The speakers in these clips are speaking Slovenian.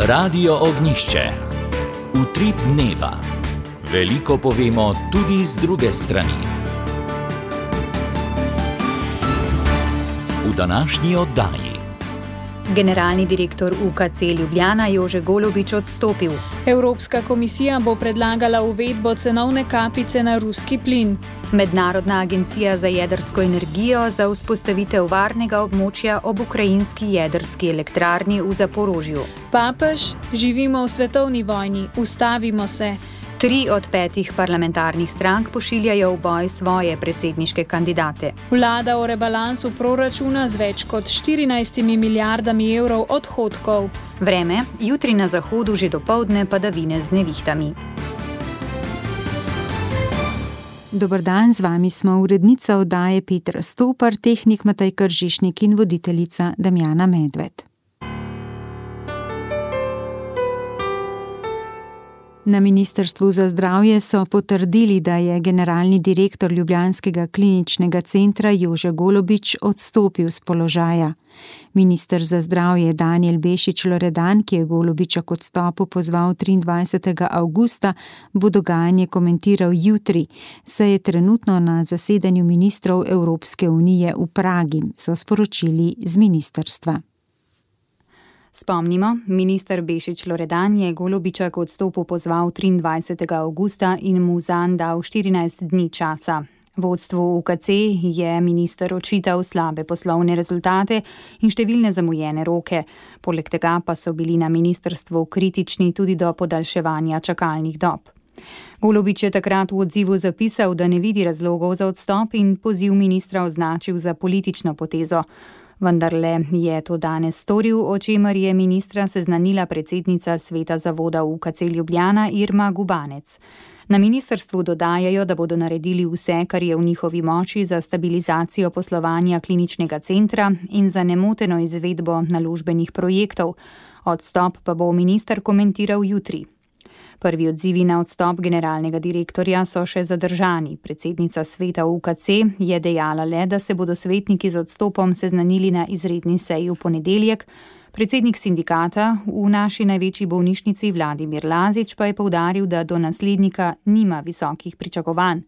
Radio Ognjišče. Utrip dneva. Veliko povemo tudi z druge strani. V današnji oddaji. Generalni direktor UKC Ljubljana Jože Golobič odstopil. Evropska komisija bo predlagala uvedbo cenovne kapice na ruski plin. Mednarodna agencija za jedrsko energijo za vzpostavitev varnega območja ob ukrajinski jedrski elektrarni v Zaporožju. Papež, živimo v svetovni vojni, ustavimo se. 3 od 5 parlamentarnih strank pošiljajo v boj svoje predsedniške kandidate. Vlada o rebalansu proračuna z več kot 14 milijardami evrov odhodkov. Vreme, jutri na zahodu že dopoldne padavine z nevihtami. Dober dan, z vami smo urednica oddaje Petra Stopar, tehnik Matej Kržišnik in voditeljica Damjana Medved. Na Ministrstvu za zdravje so potrdili, da je generalni direktor ljubljanskega kliničnega centra Jože Golobič odstopil z položaja. Minister za zdravje Danijel Bešič Loredan, ki je Golobiča k odstopu pozval 23. avgusta, bo dogajanje komentiral jutri, saj je trenutno na zasedanju ministrov Evropske unije v Pragi, so sporočili z ministrstva. Spomnimo, minister Bešič Loredan je Golobiča k odstopu pozval 23. avgusta in mu zanj dal 14 dni časa. Vodstvu UKC je minister očital slabe poslovne rezultate in številne zamujene roke. Poleg tega pa so bili na ministrstvu kritični tudi do podaljševanja čakalnih dob. Golobič je takrat v odzivu zapisal, da ne vidi razlogov za odstop in poziv ministra označil za politično potezo. Vendarle je to danes storil, o čemer je ministra seznanila predsednica sveta zavoda UKC Ljubljana Irma Gubanec. Na ministrstvu dodajajo, da bodo naredili vse, kar je v njihovi moči za stabilizacijo poslovanja kliničnega centra in za nemoteno izvedbo naložbenih projektov. Odstop pa bo minister komentiral jutri. Prvi odzivi na odstop generalnega direktorja so še zadržani. Predsednica sveta UKC je dejala le, da se bodo svetniki z odstopom seznanili na izredni seji v ponedeljek. Predsednik sindikata v naši največji bolnišnici Vladimir Lazič pa je poudaril, da do naslednika nima visokih pričakovanj.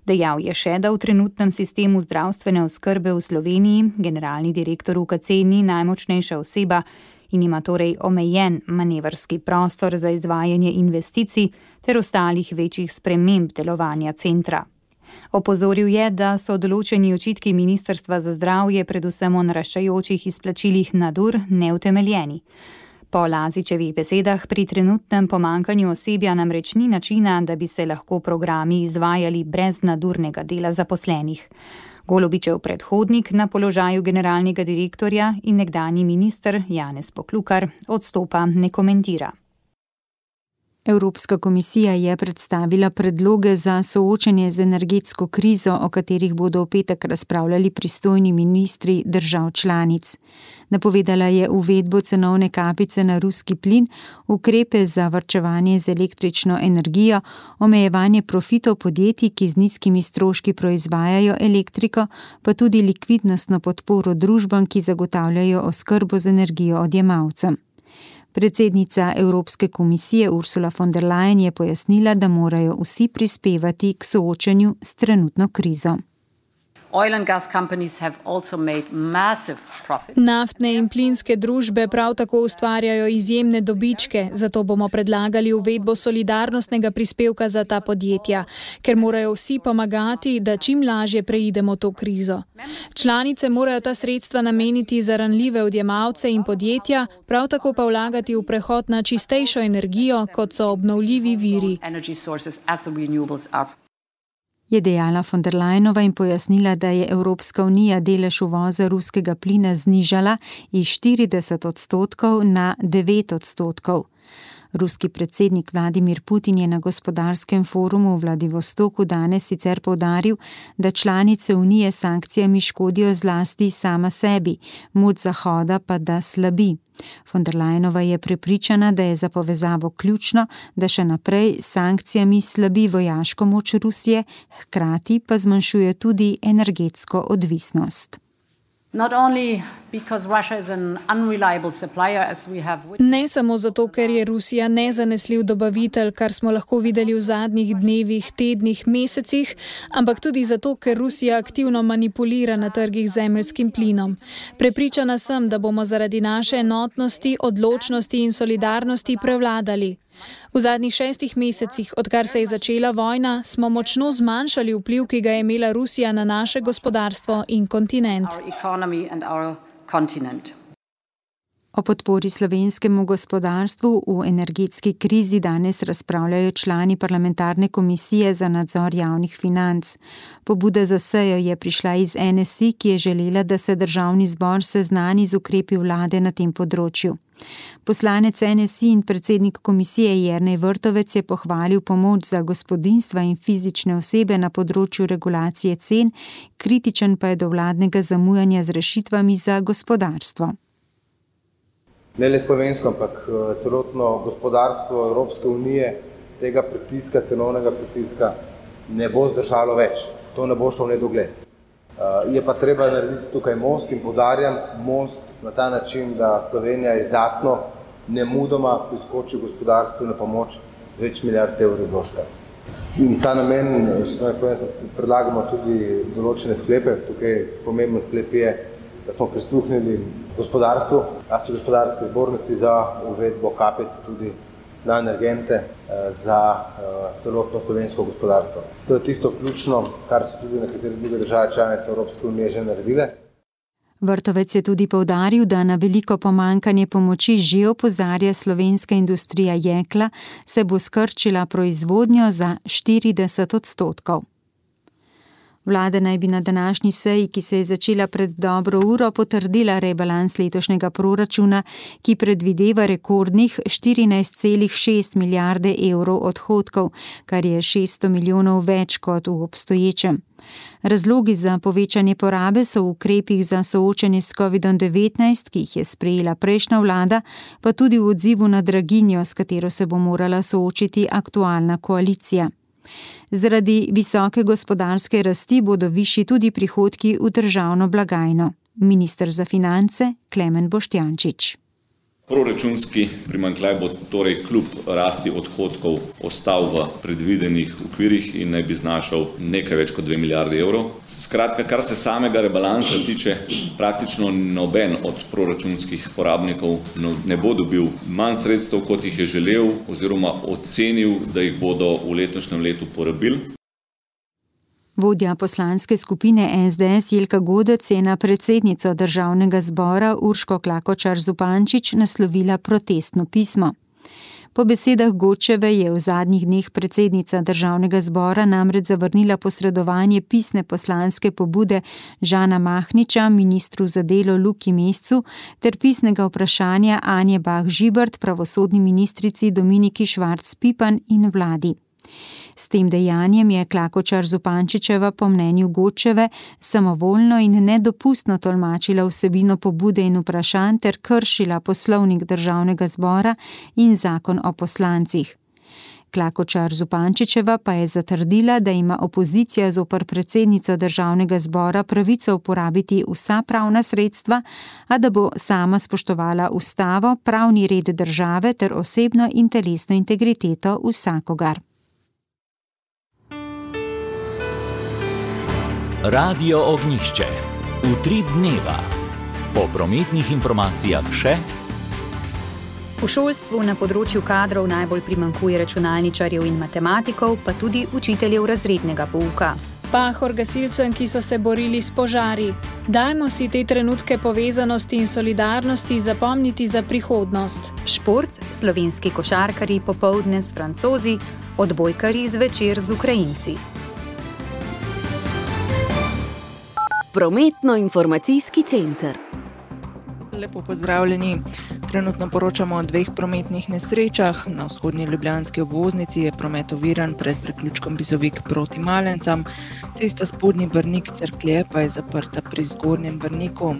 Dejal je še, da v trenutnem sistemu zdravstvene oskrbe v Sloveniji generalni direktor UKC ni najmočnejša oseba in ima torej omejen manevrski prostor za izvajanje investicij ter ostalih večjih sprememb delovanja centra. Opozoril je, da so določeni očitki Ministrstva za zdravje predvsem o naraščajočih izplačilih nadur neutemeljeni. Po Lazičevih besedah pri trenutnem pomanjkanju osebja namreč ni načina, da bi se lahko programi izvajali brez nadurnega dela zaposlenih. Golobičev predhodnik na položaju generalnega direktorja in nekdanji minister Janez Poklukar odstopa ne komentira. Evropska komisija je predstavila predloge za soočanje z energetsko krizo, o katerih bodo v petek razpravljali pristojni ministri držav članic. Napovedala je uvedbo cenovne kapice na ruski plin, ukrepe za varčevanje z električno energijo, omejevanje profitov podjetij, ki z nizkimi stroški proizvajajo elektriko, pa tudi likvidnostno podporo družbam, ki zagotavljajo oskrbo z energijo odjemalcem. Predsednica Evropske komisije Ursula von der Leyen je pojasnila, da morajo vsi prispevati k soočanju s trenutno krizo. Naftne in plinske družbe prav tako ustvarjajo izjemne dobičke, zato bomo predlagali uvedbo solidarnostnega prispevka za ta podjetja, ker morajo vsi pomagati, da čim lažje preidemo to krizo. Članice morajo ta sredstva nameniti za ranljive odjemalce in podjetja, prav tako pa vlagati v prehod na čistejšo energijo, kot so obnovljivi viri. Je dejala von der Leyenova in pojasnila, da je Evropska unija delež uvoza ruskega plina znižala iz 40% na 9%. Ruski predsednik Vladimir Putin je na gospodarskem forumu v Vladivostoku danes sicer poudaril, da članice unije s sankcijami škodijo zlasti sama sebi, moč Zahoda pa da slabi. Von der Leyenova je prepričana, da je za povezavo ključno, da še naprej s sankcijami slabi vojaško moč Rusije, hkrati pa zmanjšuje tudi energetsko odvisnost. Ne samo zato, ker je Rusija nezanesljiv dobavitelj, kar smo lahko videli v zadnjih dnevih, tednih, mesecih, ampak tudi zato, ker Rusija aktivno manipulira na trgih z zemeljskim plinom. Prepričana sem, da bomo zaradi naše enotnosti, odločnosti in solidarnosti prevladali. V zadnjih 6 mesecih, odkar se je začela vojna, smo močno zmanjšali vpliv, ki ga je imela Rusija na naše gospodarstvo in kontinent. O podpori slovenskemu gospodarstvu v energetski krizi danes razpravljajo člani parlamentarne komisije za nadzor javnih financ. Pobuda za sejo je prišla iz NSI, ki je želela, da se državni zbor seznani z ukrepi vlade na tem področju. Poslanec NSI in predsednik komisije Jernej Vrtovec je pohvalil pomoč za gospodinjstva in fizične osebe na področju regulacije cen, kritičen pa je do vladnega zamujanja z rešitvami za gospodarstvo. Ne le slovensko, ampak celotno gospodarstvo Evropske unije tega pritiska, cenovnega pritiska ne bo zdržalo več. To ne bo šlo v nedogled. Je pa treba narediti tukaj most in poudarjam most na ta način, da Slovenija izdatno nemudoma priskoči gospodarstvu na pomoč z več milijard evrov vložka. In ta namen predlagamo tudi določene sklepe. Tukaj pomemben sklep je, da smo prisluhnili gospodarstvu, gospodarski zbornici za uvedbo kapic tudi na energente za celotno slovensko gospodarstvo. To je tisto ključno, kar so tudi nekatere druge države članice Evropske unije že naredile. Vrtovec je tudi poudaril, da na veliko pomanjkanje pomoči že opozarja slovenska industrija jekla, se bo skrčila proizvodnjo za 40%. Vlada naj bi na današnji seji, ki se je začela pred dobro uro, potrdila rebalans letošnjega proračuna, ki predvideva rekordnih 14,6 milijarde evrov odhodkov, kar je 600 milijonov več kot v obstoječem. Razlogi za povečanje porabe so v ukrepih za soočanje s COVID-19, ki jih je sprejela prejšnja vlada, pa tudi v odzivu na draginjo, s katero se bo morala soočiti aktualna koalicija. Zaradi visoke gospodarske rasti bodo višji tudi prihodki v državno blagajno. Minister za finance Klemen Boštjančič. Proračunski primanjkljaj bo torej kljub rasti odhodkov ostal v predvidenih okvirih in naj bi znašal nekaj več kot 2 milijardi evrov. Skratka, kar se samega rebalansa tiče, praktično noben od proračunskih porabnikov ne bo dobil manj sredstev, kot jih je želel oziroma ocenil, da jih bodo v letošnjem letu porabili. Vodja poslanske skupine SDS Jelka Godec je na predsednico državnega zbora Urško Klakočar Zupančič naslovila protestno pismo. Po besedah Godčeve je v zadnjih dneh predsednica državnega zbora namreč zavrnila posredovanje pisne poslanske pobude Žana Mahniča ministru za delo Luki Mescu ter pisnega vprašanja Anje Bah Žibert pravosodni ministrici Dominiki Švarc Pipan in vladi. S tem dejanjem je Klakočar Zupančičeva po mnenju Godčeve samovoljno in nedopustno tolmačila vsebino pobude in vprašanj ter kršila poslovnik državnega zbora in zakon o poslancih. Klakočar Zupančičeva pa je zatrdila, da ima opozicija zoper predsednico državnega zbora pravico uporabiti vsa pravna sredstva, a da bo sama spoštovala ustavo, pravni red države ter osebno in telesno integriteto vsakogar. Radio Ognjišče. Utrip dneva. Po prometnih informacijah še. V šolstvu na področju kadrov najbolj primanjkuje računalničarjev in matematikov, pa tudi učiteljev razrednega pouka. Pahor gasilcem, ki so se borili s požari. Dajmo si te trenutke povezanosti in solidarnosti zapomniti za prihodnost. Šport, slovenski košarkarji popoldne s Francozi, odbojkarji zvečer z Ukrajinci. Prometno-informacijski center. Lepo pozdravljeni. Trenutno poročamo o 2 prometnih nesrečah. Na vzhodnji ljubljanski obvoznici je promet oviran pred priključkom Bizovik proti Malencam. Cesta Spodnji Brnik-Cerklje pa je zaprta pri Zgornjem Brniku.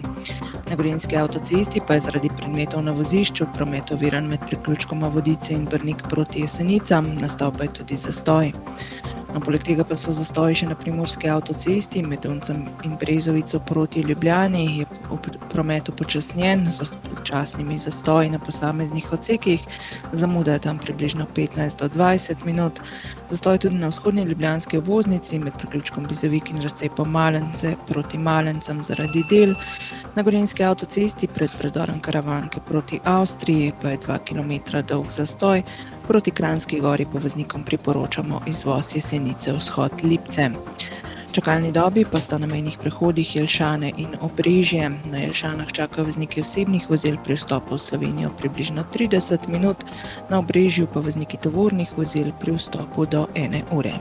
Na Gorenjski avtocesti pa je zaradi predmetov na vozišču promet oviran med priključkoma Vodice in Brnik proti Jesenicam, nastal pa je tudi zastoj. Poleg tega pa so zastoji še na primorski avtocesti med Uncem in Brezovico proti Ljubljani, je promet upočasnjen z počasnimi zastoji na posameznih odsekih, zamuda je tam približno 15 do 20 minut. Zastoj tudi na vzhodni ljubljanski obvoznici med priključkom Bizovik in razcepom Malence proti Malencem zaradi del. Na gorenjski avtocesti pred predorom Karavanke proti Avstriji pa je 2 km dolg zastoj. Proti Kranjski gori pa voznikom priporočamo izvoz Jesenice vzhod Lipce. Čakalni dobi pa sta na mejnih prehodih Jelšane in Obrežje. Na Jelšanah čakajo vozniki osebnih vozil pri vstopu v Slovenijo približno 30 minut, na Obrežju pa vozniki tovornih vozil pri vstopu do 1 ure.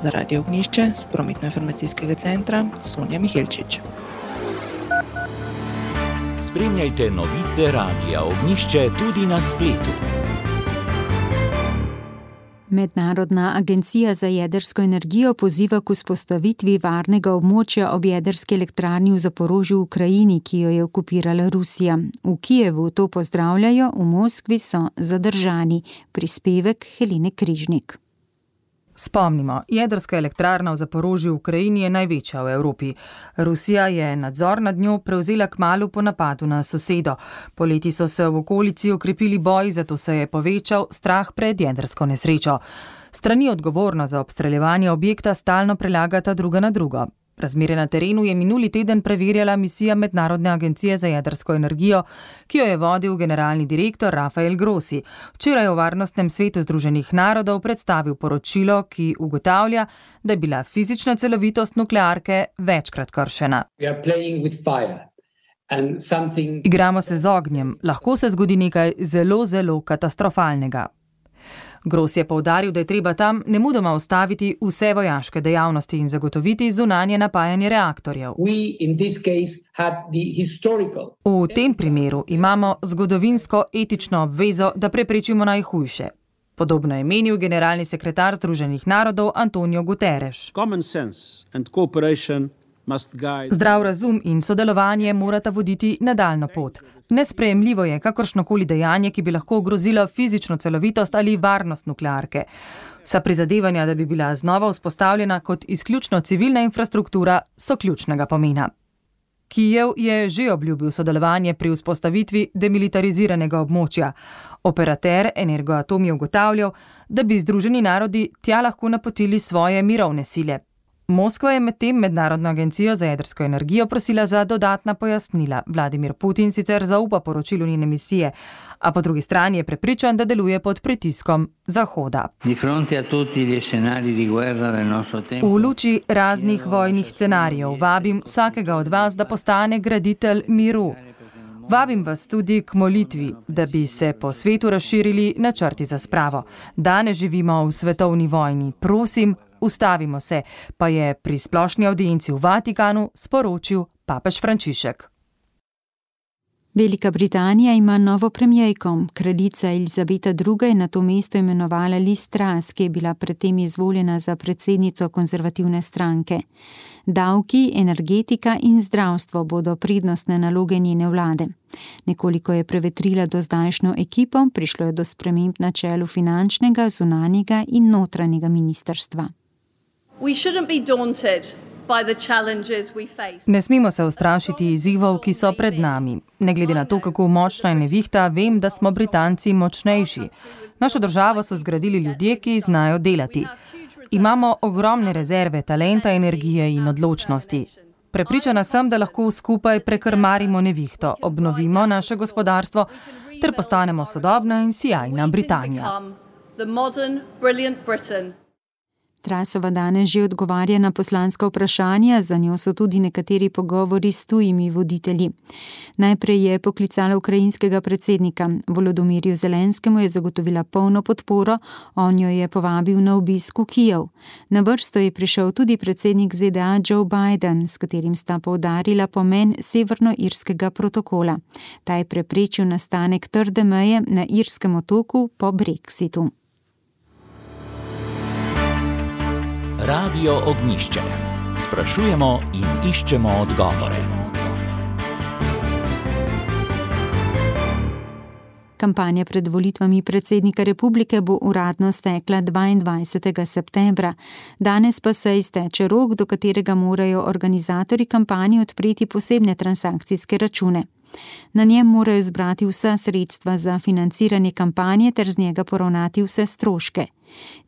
Za Radio Ognjišče z prometno-informacijskega centra Sonja Mihelčič. Spremljajte novice Radia Ognjišče tudi na spletu. Mednarodna agencija za jedrsko energijo poziva k vzpostavitvi varnega območja ob jedrski elektrarni v Zaporožju v Ukrajini, ki jo je okupirala Rusija. V Kijevu to pozdravljajo, v Moskvi so zadržani. Prispevek Helene Križnik. Spomnimo, jedrska elektrarna v Zaporožju v Ukrajini je največja v Evropi. Rusija je nadzor nad njo prevzela kmalu po napadu na sosedo. Poleti so se v okolici okrepili boji, zato se je povečal strah pred jedrsko nesrečo. Strani odgovorno za obstreljevanje objekta stalno prelagata druga na drugo. Razmere na terenu je minuli teden preverjala misija Mednarodne agencije za jedrsko energijo, ki jo je vodil generalni direktor Rafael Grossi. Včeraj v Varnostnem svetu Združenih narodov predstavil poročilo, ki ugotavlja, da je bila fizična celovitost nuklearke večkrat kršena. Igramo se z ognjem, lahko se zgodi nekaj zelo, zelo katastrofalnega. Grossi je poudaril, da je treba tam nemudoma ustaviti vse vojaške dejavnosti in zagotoviti zunanje napajanje reaktorjev. V tem primeru imamo zgodovinsko etično obvezo, da preprečimo najhujše. Podobno je menil generalni sekretar Združenih narodov Antonio Guterres. Zdrav razum in sodelovanje morata voditi nadaljnjo pot. Nesprejemljivo je kakršnokoli dejanje, ki bi lahko ogrozilo fizično celovitost ali varnost nuklearke. Vsa prizadevanja, da bi bila znova vzpostavljena kot izključno civilna infrastruktura, so ključnega pomena. Kijev je že obljubil sodelovanje pri vzpostavitvi demilitariziranega območja. Operater Energoatom je ugotavljal, da bi Združeni narodi tja lahko napotili svoje mirovne sile. Moskva je medtem Mednarodno agencijo za jedrsko energijo prosila za dodatna pojasnila. Vladimir Putin sicer zaupa poročilu njene misije, a po drugi strani je prepričan, da deluje pod pritiskom Zahoda. V luči raznih vojnih scenarijev vabim vsakega od vas, da postane graditelj miru. Vabim vas tudi k molitvi, da bi se po svetu razširili načrti za spravo. Danes živimo v svetovni vojni. Prosim, ustavimo se, pa je pri splošni avdienci v Vatikanu sporočil papež Frančišek. Velika Britanija ima novo premierko. Kraljica Elizabeta II. Je na to mesto imenovala Liz Truss, ki je bila predtem izvoljena za predsednico konzervativne stranke. Davki, energetika in zdravstvo bodo prednostne naloge njene vlade. Nekoliko je prevetrila dozdajšnjo ekipo, prišlo je do sprememb na čelu finančnega, zunanjega in notranjega ministrstva. Ne smemo se ustrašiti izzivov, ki so pred nami. Ne glede na to, kako močna je nevihta, vem, da smo Britanci močnejši. Našo državo so zgradili ljudje, ki znajo delati. Imamo ogromne rezerve talenta, energije in odločnosti. Prepričana sem, da lahko skupaj prekrmarimo nevihto, obnovimo naše gospodarstvo ter postanemo sodobna in sijajna Britanija. Trussova danes že odgovarja na poslanska vprašanja, za njo so tudi nekateri pogovori s tujimi voditelji. Najprej je poklicala ukrajinskega predsednika. Volodomirju Zelenskemu je zagotovila polno podporo, on jo je povabil na obisk v Kijev. Na vrsto je prišel tudi predsednik ZDA Joe Biden, s katerim sta poudarila pomen severnoirskega protokola. Ta je preprečil nastanek trde meje na irskem otoku po Brexitu. Radio Ognjišče. Sprašujemo in iščemo odgovore. Kampanja pred volitvami predsednika republike bo uradno stekla 22. septembra. Danes pa se izteče rok, do katerega morajo organizatorji kampanje odpreti posebne transakcijske račune. Na njem morajo zbrati vsa sredstva za financiranje kampanje ter z njega poravnati vse stroške.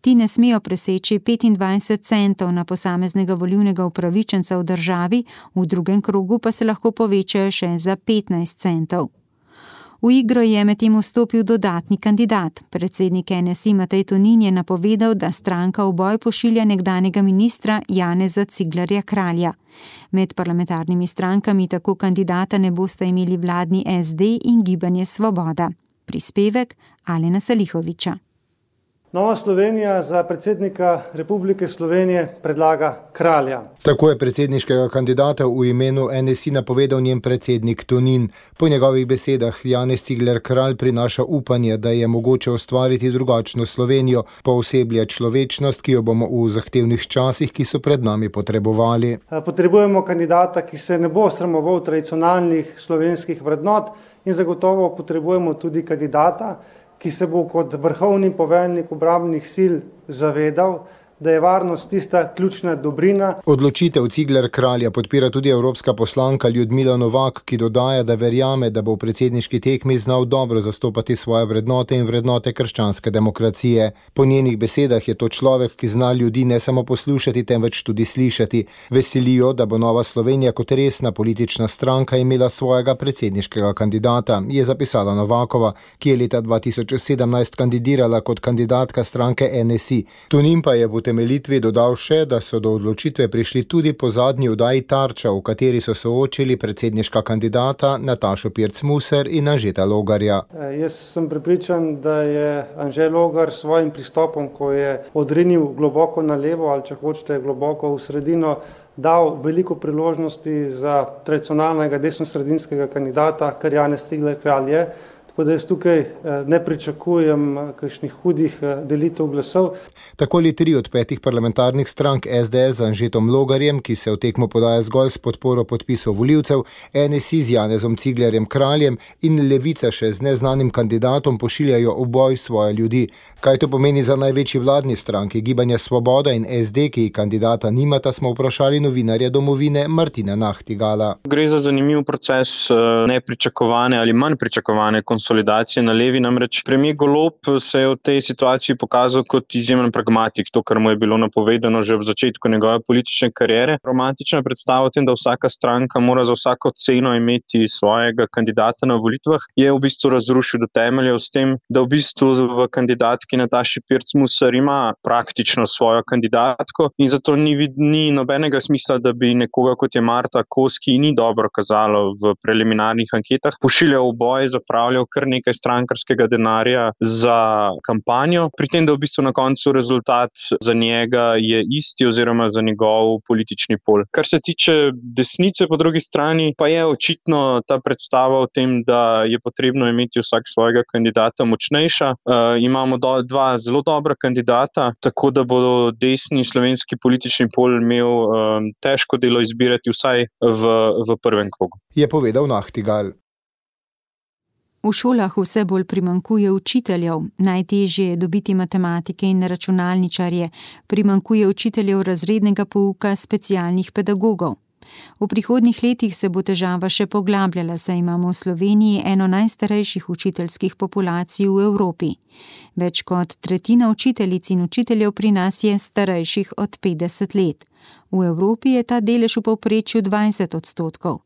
Ti ne smejo preseči 25 centov na posameznega volilnega upravičenca v državi, v drugem krogu pa se lahko povečajo še za 15 centov. V igro je medtem vstopil dodatni kandidat. Predsednik NSI Matej Tonin je napovedal, da stranka v boj pošilja nekdanjega ministra Janeza Ciglerja Kralja. Med parlamentarnimi strankami tako kandidata ne bosta imeli vladni SD in Gibanje Svoboda. Prispevek Alena Salihoviča. Nova Slovenija za predsednika Republike Slovenije predlaga Kralja. Tako je predsedniškega kandidata v imenu NSI napovedal njen predsednik Tonin. Po njegovih besedah Janez Cigler Kralj prinaša upanje, da je mogoče ustvariti drugačno Slovenijo, pooseblja človečnost, ki jo bomo v zahtevnih časih, ki so pred nami, potrebovali. Potrebujemo kandidata, ki se ne bo sramoval tradicionalnih slovenskih vrednot, in zagotovo potrebujemo tudi kandidata, ki se bo kot vrhovni poveljnik obrambnih sil zavedal, da je varnost tista ključna dobrina. Odločitev Cigler Kralja podpira tudi evropska poslanka Ljudmila Novak, ki dodaja, da verjame, da bo v predsedniški tekmi znal dobro zastopati svoje vrednote in vrednote krščanske demokracije. Po njenih besedah je to človek, ki zna ljudi ne samo poslušati, temveč tudi slišati. Veselijo, da bo Nova Slovenija kot resna politična stranka imela svojega predsedniškega kandidata, je zapisala Novakova, ki je leta 2017 kandidirala kot kandidatka stranke NSI. Tonin pa je v utemeljitvi dodal še, da so do odločitve prišli tudi po zadnji oddaji Tarča, v kateri so soočili predsedniška kandidata Natašo Pirc Musar in Anžeta Logarja. Jaz sem prepričan, da je Anže Logar s svojim pristopom, ko je odrinil globoko na levo ali če hočete globoko v sredino, dal veliko priložnosti za tradicionalnega desnosredinskega kandidata, kar Janez Cigler Kralj je. Tako da jaz tukaj ne pričakujem kakšnih hudih delitev glasov. Tako ali 3 od 5 parlamentarnih strank SDS z Anžetom Logarjem, ki se v tekmo podaja zgolj s podporo podpisov volivcev, NSI z Janezom Ciglerjem Kraljem in Levica še z neznanim kandidatom pošiljajo v boj svoje ljudi. Kaj to pomeni za največji vladni stranki Gibanje Svoboda in SD, ki kandidata nimata, smo vprašali novinarja Domovine Martina Nahtigala. Gre za zanimiv proces nepričakovane ali manj pričakovane konsolidacije na levi, namreč premier Golob se je v tej situaciji pokazal kot izjemen pragmatik, to, kar mu je bilo napovedano že v začetku njegove politične kariere. Romantična predstava o tem, da vsaka stranka mora za vsako ceno imeti svojega kandidata na volitvah, je v bistvu razrušil do temeljev s tem, da v bistvu v kandidatki Nataši Pirc Musar ima praktično svojo kandidatko in zato ni nobenega smisla, da bi nekoga kot je Marta Kos, ki ni dobro kazalo v preliminarnih anketah, pošiljal v boj, zapravljal kar nekaj strankarskega denarja za kampanjo, pri tem, da v bistvu na koncu rezultat za njega je isti oziroma za njegov politični pol. Kar se tiče desnice po drugi strani, pa je očitno ta predstava o tem, da je potrebno imeti vsak svojega kandidata močnejša. Imamo 2 zelo dobra kandidata, tako da bo desni slovenski politični pol imel težko delo izbirati vsaj v prvem krogu. Je povedal Nahtigal. V šolah vse bolj primanjkuje učiteljev, najtežje je dobiti matematike in računalničarje, primanjkuje učiteljev razrednega pouka, specialnih pedagogov. V prihodnjih letih se bo težava še poglabljala, saj imamo v Sloveniji eno najstarejših učiteljskih populacij v Evropi. Več kot tretjina učiteljic in učiteljev pri nas je starejših od 50 let. V Evropi je ta delež v povprečju 20%.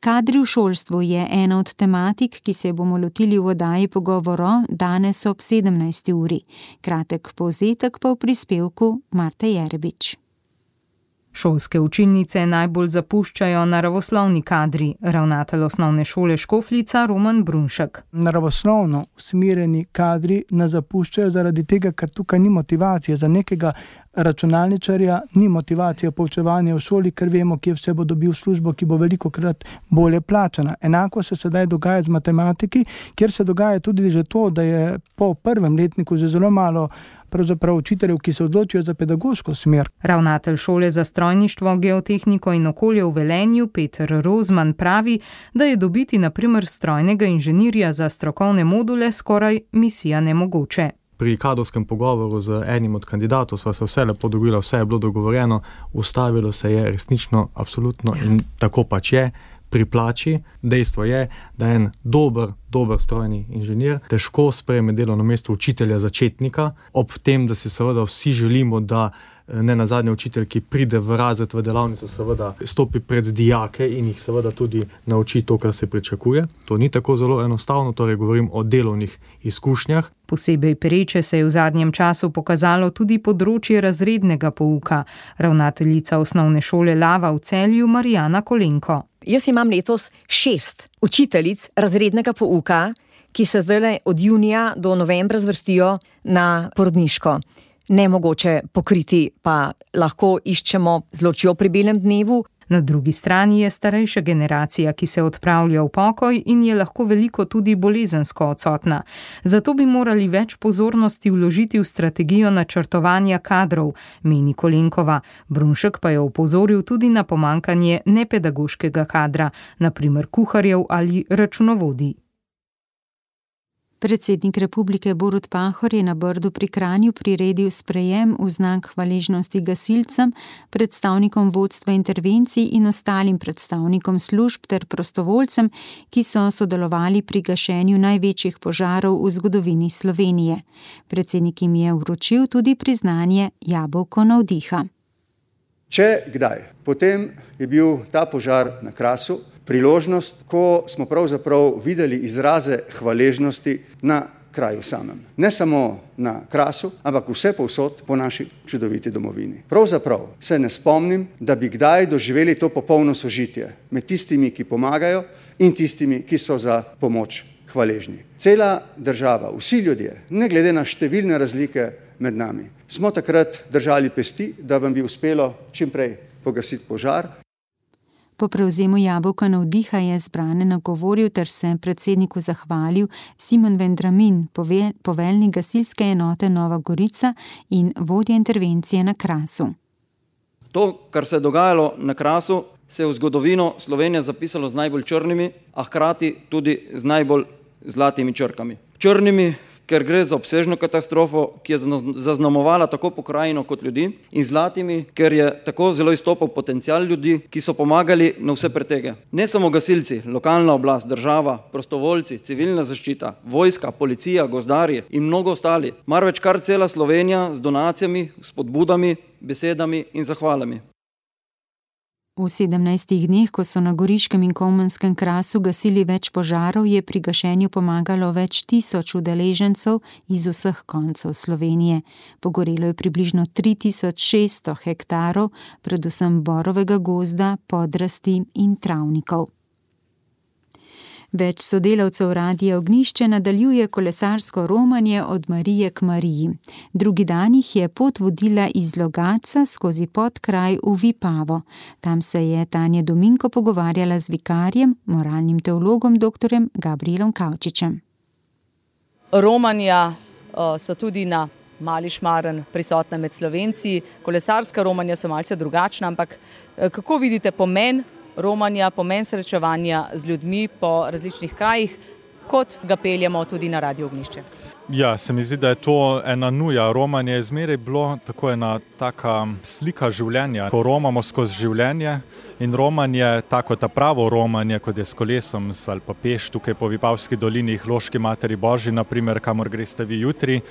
Kadri v šolstvu je ena od tematik, ki se bomo lotili v oddaji Pogovoro danes ob 17. uri. Kratek povzetek pa v prispevku Marte Jerebič. Šolske učilnice najbolj zapuščajo naravoslovni kadri, ravnatelj osnovne šole Škofljica Roman Brunšek. Naravoslovno usmerjeni kadri nas zapuščajo zaradi tega, ker tukaj ni motivacije za nekega računalničarja ni motivacija poučevanja v šoli, ker vemo, kje vse bo dobil službo, ki bo velikokrat bolje plačana. Enako se sedaj dogaja z matematiki, kjer se dogaja tudi že to, da je po prvem letniku že zelo malo pravzaprav učiteljev, ki se odločijo za pedagoško smer. Ravnatelj šole za strojništvo, geotehniko in okolje v Velenju, Peter Rozman, pravi, da je dobiti na primer strojnega inženirja za strokovne module skoraj misija nemogoče. Pri kadrovskem pogovoru z enim od kandidatov sva se vse lepo dogovorila, vse je bilo dogovorjeno, ustavilo se je resnično, absolutno in tako pač je. Pri plači, dejstvo je, da je en dober strojni inženir težko sprejme delovno mesto učitelja začetnika, ob tem, da si seveda vsi želimo, da ne nazadnje učitelj, ki pride v razred v delavnico, seveda stopi pred dijake in jih seveda tudi nauči to, kar se pričakuje. To ni tako zelo enostavno, torej govorim o delovnih izkušnjah. Posebej pereče se je v zadnjem času pokazalo tudi področje razrednega pouka. Ravnateljica osnovne šole Lava v Celju, Marijana Kolenko. Jaz imam letos 6 učiteljic razrednega pouka, ki se zdaj od junija do novembra zvrstijo na porodniško. Nemogoče pokriti, pa lahko iščemo z ločjo pri belem dnevu. Na drugi strani je starejša generacija, ki se odpravlja v pokoj in je lahko veliko tudi bolezensko odsotna. Zato bi morali več pozornosti vložiti v strategijo načrtovanja kadrov, meni Kolenkova. Brunšek pa je opozoril tudi na pomanjkanje nepedagoškega kadra, na primer kuharjev ali računovodij. Predsednik republike Borut Pahor je na Brdu pri Kranju priredil sprejem v znak hvaležnosti gasilcem, predstavnikom vodstva intervencij in ostalim predstavnikom služb ter prostovoljcem, ki so sodelovali pri gašenju največjih požarov v zgodovini Slovenije. Predsednik jim je vročil tudi priznanje Jabolko navdiha. Če kdaj, potem je bil ta požar na Krasu priložnost, ko smo pravzaprav videli izraze hvaležnosti na kraju samem. Ne samo na Krasu, ampak vse povsod po naši čudoviti domovini. Pravzaprav se ne spomnim, da bi kdaj doživeli to popolno sožitje med tistimi, ki pomagajo in tistimi, ki so za pomoč hvaležni. Cela država, vsi ljudje, ne glede na številne razlike med nami, smo takrat držali pesti, da vam bi uspelo čimprej pogasiti požar. Po prevzemu Jabolka navdiha je zbrane nagovoril ter se predsedniku zahvalil Simon Vendramin, poveljnik gasilske enote Nova Gorica in vodja intervencije na Krasu. To, kar se je dogajalo na Krasu, se je v zgodovino Slovenije zapisalo z najbolj črnimi, a hkrati tudi z najbolj zlatimi črkami. Črnimi, ker gre za obsežno katastrofo, ki je zaznamovala tako pokrajino kot ljudi, in zlatimi, ker je tako zelo izstopal potencial ljudi, ki so pomagali na vse pretege. Ne samo gasilci, lokalna oblast, država, prostovoljci, civilna zaščita, vojska, policija, gozdarji in mnogo ostali, marveč kar cela Slovenija z donacijami, spodbudami, besedami in zahvalami. V 17 dneh, ko so na Goriškem in Komanskem Krasu gasili več požarov, je pri gašenju pomagalo več tisoč udeležencev iz vseh koncev Slovenije. Pogorelo je približno 3600 hektarov, predvsem borovega gozda, podrasti in travnikov. Več sodelavcev Radia Ognjišče nadaljuje kolesarsko romanje od Marije k Mariji. Drugi dan jih je pot vodila iz Logatca skozi podkraj v Vipavo. Tam se je Tanja Dominko pogovarjala z vikarjem, moralnim teologom dr. Gabrielom Kavčičem. Romanja so tudi na Mali Šmaren prisotna med Slovenci. Kolesarska romanja so malce drugačna, ampak kako vidite pomen romanja, pomen srečevanja z ljudmi po različnih krajih, kot ga peljemo tudi na Radio Ognjišče? Ja, se mi zdi, da je to ena nuja. Romanje je zmeraj bilo tako ena taka slika življenja, ko romamo skozi življenje, in romanje, tako ta pravo romanje, kot je s kolesom ali pa peš tukaj po Vipavski dolini, Loški Materi Božji, naprimer, kamor greste vi jutri,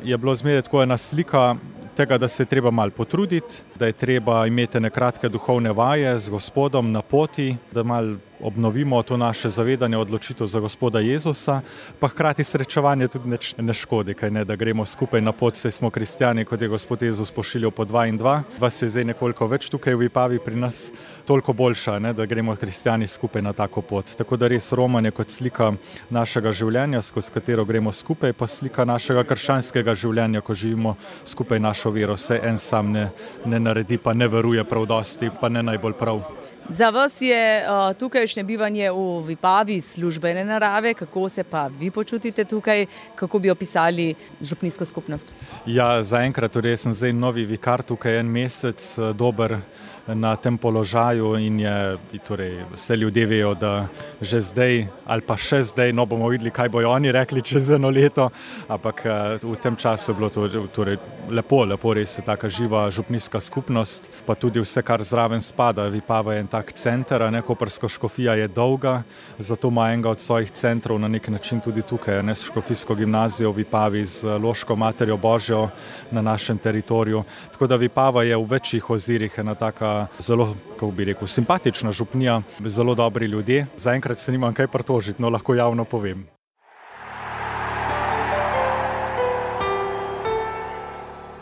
je bilo zmeraj tako ena slika tega, da se je treba malo potruditi, da je treba imeti nekratke duhovne vaje z Gospodom na poti, da malo obnovimo to naše zavedanje, odločitev za Gospoda Jezusa, pa hkrati srečevanje tudi ne škodi, da gremo skupaj na pot, saj smo kristjani, kot je Gospod Jezus pošiljal po 2 in 2. Vas je zdaj nekoliko več tukaj v Vipavi pri nas, toliko boljša, da gremo kristjani skupaj na tako pot. Tako da res romanje kot slika našega življenja, skozi katero gremo skupaj, pa slika našega krščanskega življenja, ko živimo skupaj našo vero. Saj en sam ne naredi, pa ne veruje prav dosti, pa ne najbolj prav. Za vas je tukajšnje bivanje v Vipavi službene narave, kako se pa vi počutite tukaj, kako bi opisali župnijsko skupnost? Ja, zaenkrat, torej sem zdaj novi vikar tukaj 1 mesec, dober na tem položaju in torej vse ljudje vejo, da že zdaj ali pa še zdaj, bomo videli, kaj bojo oni rekli čez 1 leto, ampak v tem času je bilo torej lepo, res je taka živa župnijska skupnost, pa tudi vse, kar zraven spada. Vipava je en tak center, Koprska škofija je dolga, zato ima enega od svojih centrov na nek način tudi tukaj, škofijsko gimnazijo v Vipavi z Loško Materjo Božjo na našem teritoriju. Tako da Vipava je v večjih ozirih ena taka zelo, kako bi rekel, simpatična župnija, zelo dobri ljudje. Zaenkrat se nimam kaj pritožiti, lahko javno povem.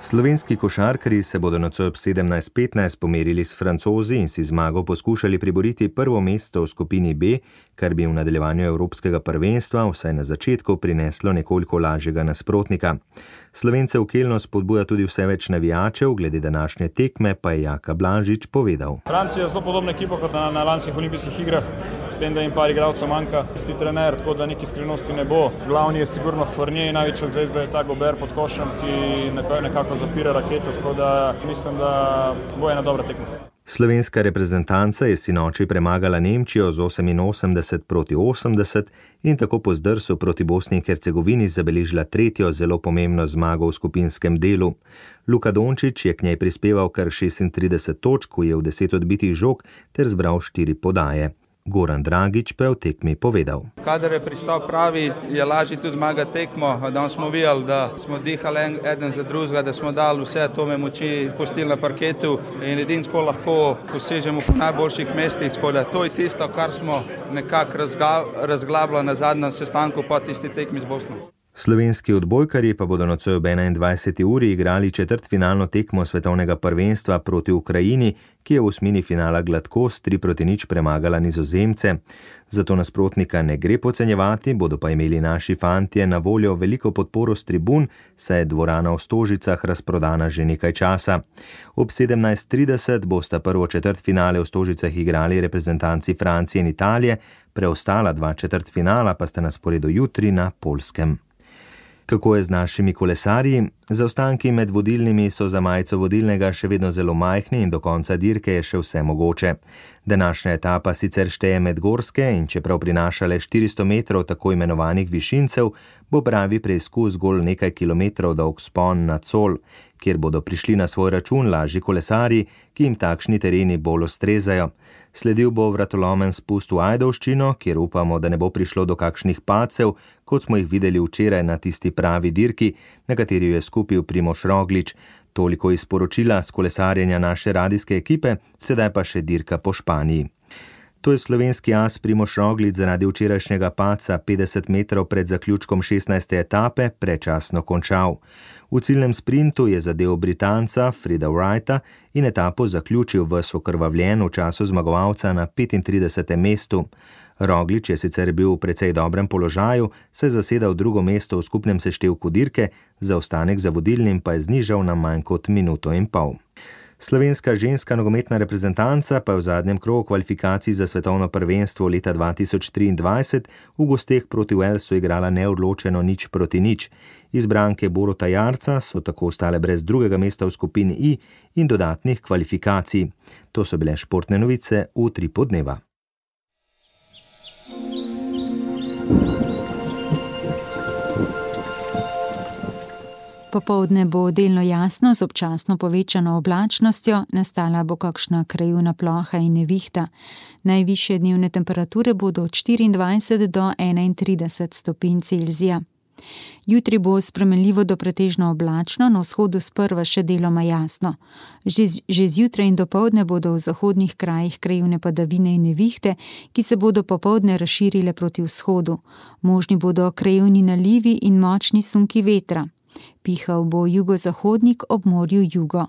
Slovenski košarkarji se bodo nocoj ob 17:15 pomerili s Francozi in si zmago poskušali priboriti prvo mesto v skupini B, kar bi v nadaljevanju evropskega prvenstva vsaj na začetku prineslo nekoliko lažjega nasprotnika. Slovence v Kelnu spodbuja tudi vse več navijačev, glede današnje tekme pa je Jaka Blažič povedal. Francija je zelo podobna ekipa kot na lanskih olimpijskih igrah, s tem, da jim par igralcev manjka, isti trener, tako da neki skrivnosti ne bo. Glavni je sigurno Fournier, največja zvezda je ta Gobert pod košem, ki nekako zapira raketo, tako da mislim, da bo ena dobra tekma. Slovenska reprezentanca je sinoči premagala Nemčijo z 88-80 in tako po zdrsu proti Bosni in Hercegovini zabeležila 3. zelo pomembno zmago v skupinskem delu. Luka Dončić je k njej prispeval kar 36 točk, ujel 10 odbitih žog ter zbral 4 podaje. Goran Dragić pa je v tekmi povedal. Kadar je pristop pravi, je lažje tudi zmagati tekmo. Danes smo videli, da smo dihali eden za drugega, da smo dali vse atome moči, pustili na parketu in edino tako lahko posežemo po najboljših mestih. To je tisto, kar smo nekako razglabljali na zadnjem sestanku po tisti tekmi z Bosno. Slovenski odbojkarji pa bodo nocoj ob 21. uri igrali četrtfinalno tekmo svetovnega prvenstva proti Ukrajini, ki je v osmini finala gladko s 3-0 premagala Nizozemce. Zato nasprotnika ne gre podcenjevati, bodo pa imeli naši fantje na voljo veliko podporo s tribun, saj je dvorana v Stožicah razprodana že nekaj časa. Ob 17:30 bosta prvo četrtfinale v Stožicah igrali reprezentanci Francije in Italije, preostala 2 četrtfinala pa sta na sporedu jutri na Poljskem. Kako je z našimi kolesarji? Zaostanki med vodilnimi so za majico vodilnega še vedno zelo majhni in do konca dirke je še vse mogoče. Današnja etapa sicer šteje med gorske in čeprav prinaša le 400 metrov tako imenovanih višincev, bo pravi preizkus zgolj nekaj kilometrov dolg vzpon na Col, kjer bodo prišli na svoj račun lažji kolesarji, ki jim takšni tereni bolj ustrezajo. Sledil bo vratolomen spust v Ajdovščino, kjer upamo, da ne bo prišlo do kakšnih padcev, kot smo jih videli včeraj na tisti pravi dirki, na kateri je skupil Primož Roglič. Toliko iz poročila s kolesarjenja naše radijske ekipe, sedaj pa še dirka po Španiji. To je slovenski as Primož Roglič zaradi včerajšnjega padca 50 metrov pred zaključkom 16. etape predčasno končal. V ciljnem sprintu je zadel Britanca Frida Wrighta in etapo zaključil ves okrvavljen v času zmagovalca na 35. mestu. Roglič je sicer bil v precej dobrem položaju, saj zasedal drugo mesto v skupnem seštevku dirke, zaostanek za vodilnim pa je znižal na manj kot minuto in pol. Slovenska ženska nogometna reprezentanca pa je v zadnjem krogu kvalifikacij za svetovno prvenstvo leta 2023 v gosteh proti Walesu igrala neodločeno 0-0. Izbranke Boruta Jarca so tako ostale brez drugega mesta v skupini I in dodatnih kvalifikacij. To so bile športne novice v 3 podneva. Popoldne bo delno jasno z občasno povečano oblačnostjo, nastala bo kakšna krajevna ploha in nevihta. Najvišje dnevne temperature bodo od 24 do 31 stopinj Celzija. Jutri bo spremenljivo do pretežno oblačno, na vzhodu sprva še deloma jasno. Že zjutraj in dopoldne bodo v zahodnih krajih krajevne padavine in nevihte, ki se bodo popoldne razširile proti vzhodu. Možni bodo krajevni nalivi in močni sunki vetra. Pihal bo jugozahodnik, ob morju jugo.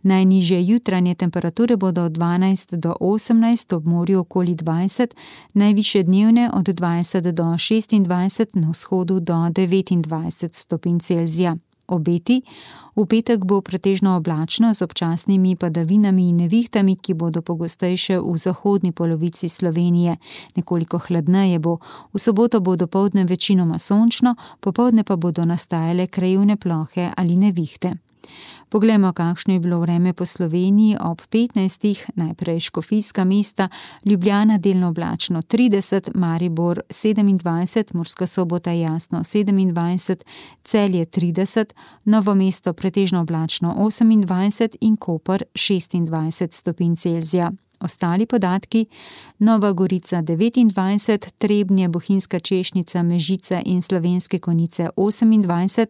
Najnižje jutranje temperature bodo od 12 do 18, ob morju okoli 20, najvišje dnevne od 20 do 26, na vzhodu do 29 stopinj Celzija. Obeti: v petek bo pretežno oblačno z občasnimi padavinami in nevihtami, ki bodo pogostejše v zahodni polovici Slovenije. Nekoliko hladneje bo. V soboto bo dopoldne večinoma sončno, popoldne pa bodo nastajale krajevne plohe ali nevihte. Poglejmo, kakšno je bilo vreme po Sloveniji ob 15. Najprej Škofijska mesta, Ljubljana delno oblačno 30, Maribor 27, Murska Sobota jasno 27, Celje 30, Novo mesto pretežno oblačno 28 in Koper 26 stopinj Celzija. Ostali podatki: Nova Gorica 29, Trebnje, Bohinjska Češnica, Mežica in Slovenske Konjice 28,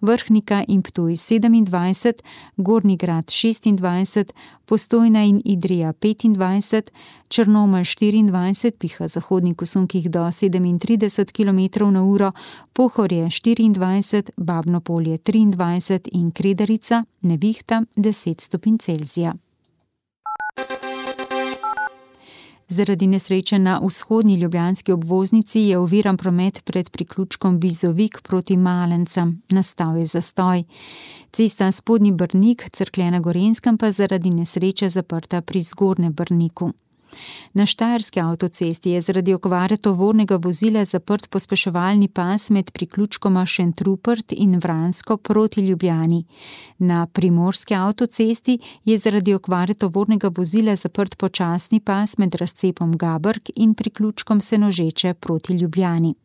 Vrhnika in Ptuj 27, Gornji Grad 26, Postojna in Idrija 25, Črnomelj 24, piha zahodnik v sunkih do 37 km/h, Pohorje 24, Babno Polje 23 in Kredarica, nevihta 10 stopinj Celzija. Zaradi nesreče na vzhodni ljubljanski obvoznici je oviran promet pred priključkom Bizovik proti Malencem. Nastal je zastoj. Cesta Spodnji Brnik, Cerklje na Gorenjskem pa zaradi nesreče zaprta pri Zgornjem Brniku. Na štajerski avtocesti je zaradi okvare tovornega vozila zaprt pospeševalni pas med priključkoma Šentrupert in Vransko proti Ljubljani. Na primorski avtocesti je zaradi okvare tovornega vozila zaprt počasni pas med razcepom Gabrk in priključkom Senožeče proti Ljubljani.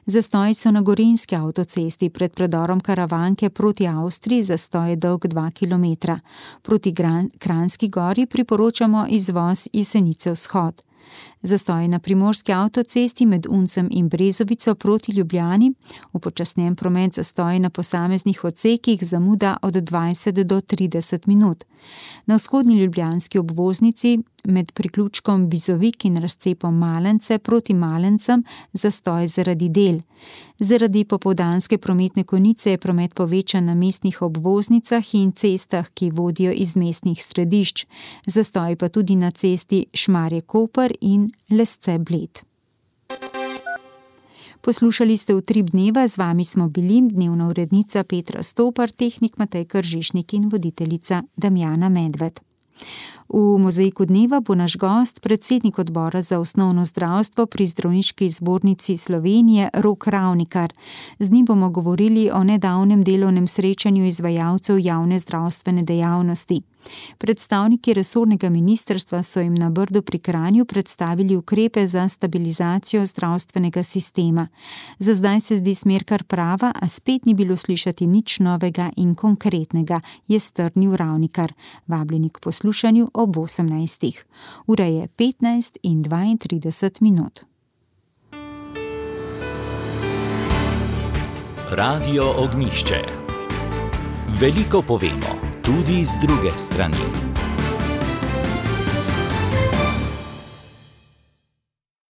Zastoj so na gorenjski avtocesti pred predorom Karavanke proti Avstriji, zastoj je dolg 2 km. Proti Kranjski gori priporočamo izvoz Jesenice vzhod. Zastoj na primorski avtocesti med Uncem in Brezovico proti Ljubljani, upočasnjen promet zastoj na posameznih odsekih, zamuda od 20 do 30 minut. Na vzhodni ljubljanski obvoznici med priključkom Bizovik in razcepom Malence proti Malencem zastoj zaradi del. Zaradi popoldanske prometne konice je promet povečan na mestnih obvoznicah in cestah, ki vodijo iz mestnih središč. Zastoj pa tudi na cesti Šmarje-Koper in Lesce-Bled. Poslušali ste Utrip dneva, z vami smo bili dnevna urednica Petra Stopar, tehnik Matej Kržišnik in voditeljica Damjana Medved. V mozaiku dneva bo naš gost, predsednik odbora za osnovno zdravstvo pri Zdravniški zbornici Slovenije Rok Ravnikar. Z njim bomo govorili o nedavnem delovnem srečanju izvajalcev javne zdravstvene dejavnosti. Predstavniki resornega ministrstva so jim na Brdu pri Kranju predstavili ukrepe za stabilizacijo zdravstvenega sistema. Za zdaj se zdi smer kar prava, a spet ni bilo slišati nič novega in konkretnega, je strnil Ravnikar. Vabljeni k poslušanju ob 18. Ura je 15:32. Radio Ognjišče. Veliko povemo, tudi z druge strani.